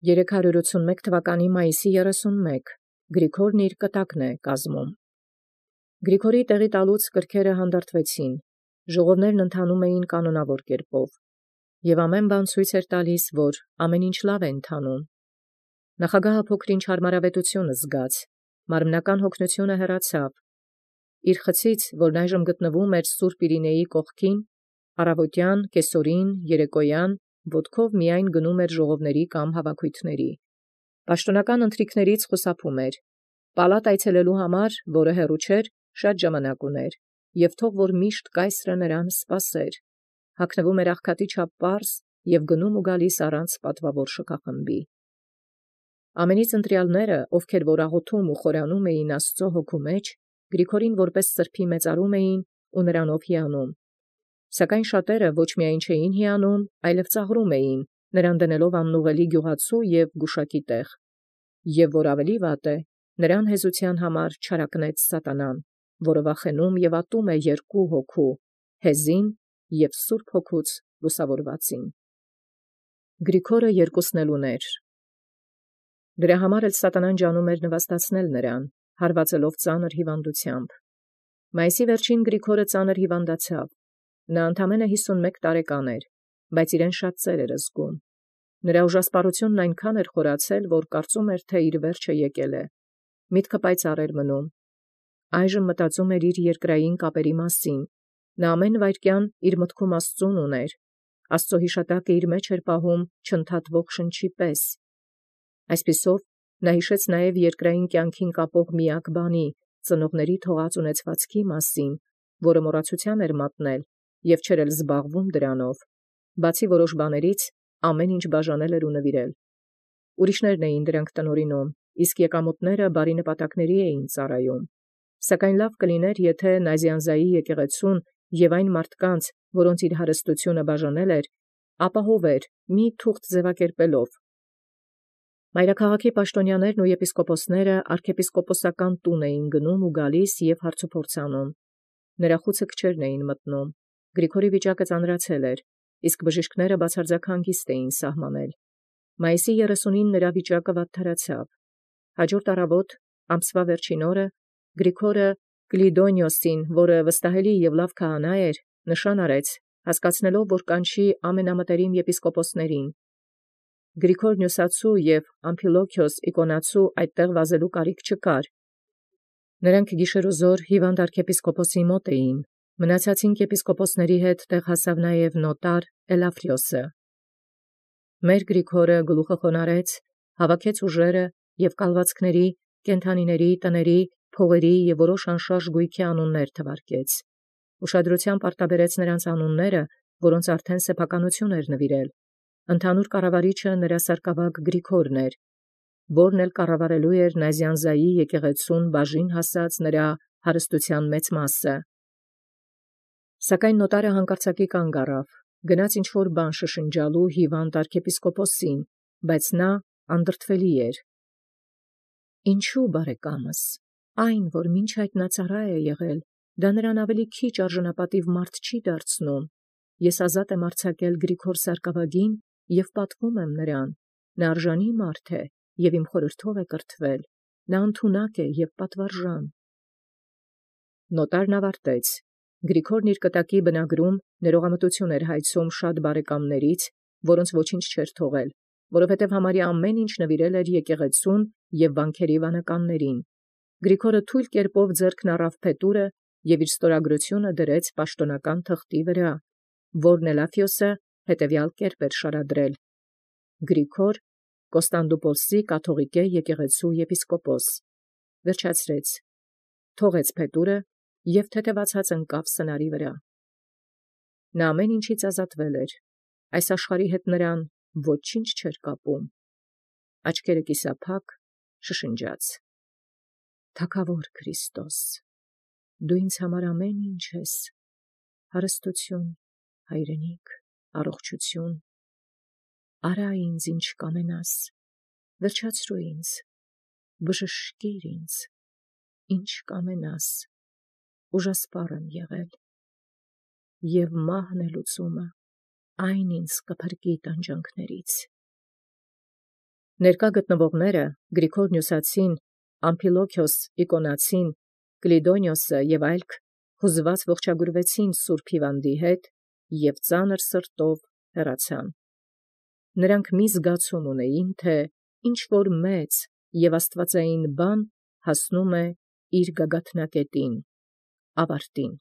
381 թվականի մայիսի 31 Գրիգորն իր կտակն է կազմում։ Գրիգորի տեղի տալուց կրքերը հանդարտվեցին, ժողովներն ընթանում էին կանոնավոր կերպով, և ամեն բան ցույց էր տալիս, որ ամեն ինչ լավ է ընթանում։ Նախագահը փոքր-ինչ հարմարավետություն զգաց, մարմնական հոգնությունը հեռացավ։ Իր խցից, որն այժմ գտնվում էր Սուրբ Իրինեի կողքին, առավոտյան, կեսօրին, երեկոյան, ոտքով միայն գնում էր ժողովների կամ հավաքույթների։ Պաշտոնական ընթրիքներից խուսափում էր։ Պալատ այցելելու համար, որը հեռու չէր, շատ ժամանակ ուներ, և թող որ միշտ կայսրը նրան սպասեր։ Հագնվում էր աղքատի չափ պարզ և գնում ու գալիս առանց պատվավոր շքախմբի։ Ամենից ընտրյալները, ովքեր որ աղոթում ու խորանում էին Աստծո հոգու մեջ, Գրիգորին որպես սրբի մեծարում էին ու նրանով հիանում։ Սակայն շատերը ոչ միայն չէին հիանում, այլև ծաղրում էին, նրան դնելով աննուղելի գյուղացու և գուշակի տեղ։ Եվ որ ավելի վատ է, նրան հեզության համար չարակնեց սատանան, որը վախենում և ատում է երկու հոգու՝ հեզին և Սուրբ Հոգուց լուսավորվածին։ Գրիգորը երկուսն էլ ուներ։ Դրա համար էլ սատանան ջանում էր նվաստացնել նրան, հարվածելով ծանր հիվանդությամբ։ Մայիսի վերջին Գրիգորը ծանր հիվանդացավ։ Նա ընդամենը 51 տարեկան էր, բայց իրեն շատ ծեր էր զգում։ Նրա ուժասպառությունն այնքան էր խորացել, որ կարծում էր, թե իր վերջը եկել է։ Միտքը պայծառ էր մնում։ Այժմ մտածում էր իր երկրային կապերի մասին։ Նա ամեն վայրկյան իր մտքում Աստծուն ուներ։ Աստծո հիշատակը իր մեջ էր պահում չընդհատվող շնչի պես։ Այսպիսով նա հիշեց նաև երկրային կյանքին կապող միակ բանի՝ ծնողների թողած ունեցվածքի մասին, որը մոռացության էր մատնել և չէր էլ զբաղվում դրանով։ Բացի որոշ բաներից, ամեն ինչ բաժանել էր ու նվիրել։ Ուրիշներն էին դրանք տնօրինում, իսկ եկամուտները բարի նպատակների էին ծառայում։ Սակայն լավ կլիներ, եթե Նազիանզայի եկեղեցուն և այն մարդկանց, որոնց իր հարստությունը բաժանել էր, ապահովեր մի թուղթ ձևակերպելով։ Մայրաքաղաքի պաշտոնյաներն ու եպիսկոպոսները arczepiskopոսական տուն էին գնում ու գալիս և հարցուփորձ անում։ Նրա խուցը քչերն էին մտնում։ Գրիգորի վիճակը ծանրացել էր, իսկ բժիշկները բացարձակ հանգիստ էին սահմանել։ Մայիսի 30-ին նրա վիճակը վատթարացավ։ Հաջորդ առավոտ, ամսվա վերջին օրը, Գրիգորը Կլիդոնիոսին, որը վստահելի և լավ քահանա էր, նշան արեց, հասկացնելով, որ կանչի ամենամտերիմ եպիսկոպոսներին։ Գրիգոր Նյուսացու և Ամփիլոքիոս Իկոնացու այդտեղ վազելու կարիք չկար։ Նրանք գիշերոզոր հիվանդ arczepiskopոսի մոտ էին։ Մնացածին եպիսկոպոսների հետ տեղ հասավ նաև նոտար Էլաֆրիոսը։ Մեր Գրիգորը գլուխը խոնարհեց, հավաքեց ուժերը և կալվածքների, կենդանիների, տների, փողերի և որոշ անշարժ գույքի անուններ թվարկեց։ Ուշադրությամբ արտաբերեց նրանց անունները, որոնց արդեն սեփականություն էր նվիրել։ Ընդհանուր կառավարիչը նրա սարկավագ Գրիգորն էր, որն էլ կառավարելու էր Նազիանզայի եկեղեցուն բաժին հասած նրա հարստության մեծ մասը։ Սակայն նոտարը հանկարծակի կանգ առավ, գնաց ինչ-որ բան շշնջալու հիվանդ arczepiskopոսին, բայց նա անդրդվելի էր։ Ինչու, բարեկամս, այն, որ մինչ այդ նա ծառա է եղել, դա նրան ավելի քիչ արժանապատիվ մարդ չի դարձնում։ Ես ազատ եմ արձակել Գրիգոր սարկավագին և պատվում եմ նրան։ Նա արժանի մարդ է և իմ խորհրդով է կրթվել։ Նա ընդունակ է և պատվարժան։ Նոտարն ավարտեց։ Գրիգորն իր կտակի բնագրում ներողամտություն էր հայցում շատ բարեկամներից, որոնց ոչինչ չէր թողել, որովհետև համարյա ամեն ինչ նվիրել էր եկեղեցուն և վանքերի վանականներին։ Գրիգորը թույլ կերպով ձեռքն առավ փետուրը և իր ստորագրությունը դրեց պաշտոնական թղթի վրա, որն Էլաֆիոսը հետևյալ կերպ էր շարադրել. Գրիգոր Կոստանդնուպոլսի կաթողիկե եկեղեցու եպիսկոպոս։ Վերջացրեց, թողեց փետուրը և թեթևացած ընկավ սնարի վրա։ Նա ամեն ինչից ազատվել էր։ Այս աշխարհի հետ նրան ոչինչ չէր կապում։ Աչքերը կիսափակ շշնջաց. Թագավոր Քրիստոս, դու ինձ համար ամեն ինչ ես, հարստություն, հայրենիք, առողջություն, արա ինձ ինչ կամենաս, վերջացրու ինձ, բժշկիր ինձ, ինչ կամենաս, ուժասպառ եմ եղել, և մահն է լուծումը, այն ինձ կփրկի տանջանքներից։ Ներկա գտնվողները Գրիգոր Նյուսացին, Ամփիլոքիոս Իկոնացին, Կլիդոնիոսը եւ այլք հուզված ողջագուրվեցին Սուրբ Հիւանդի հետ եւ ծանր սրտով հեռացան։ Նրանք մի զգացում ունեին, թէ ինչ որ մեծ եւ աստուածային բան հասնում է իր գագաթնակետին, ավարտին։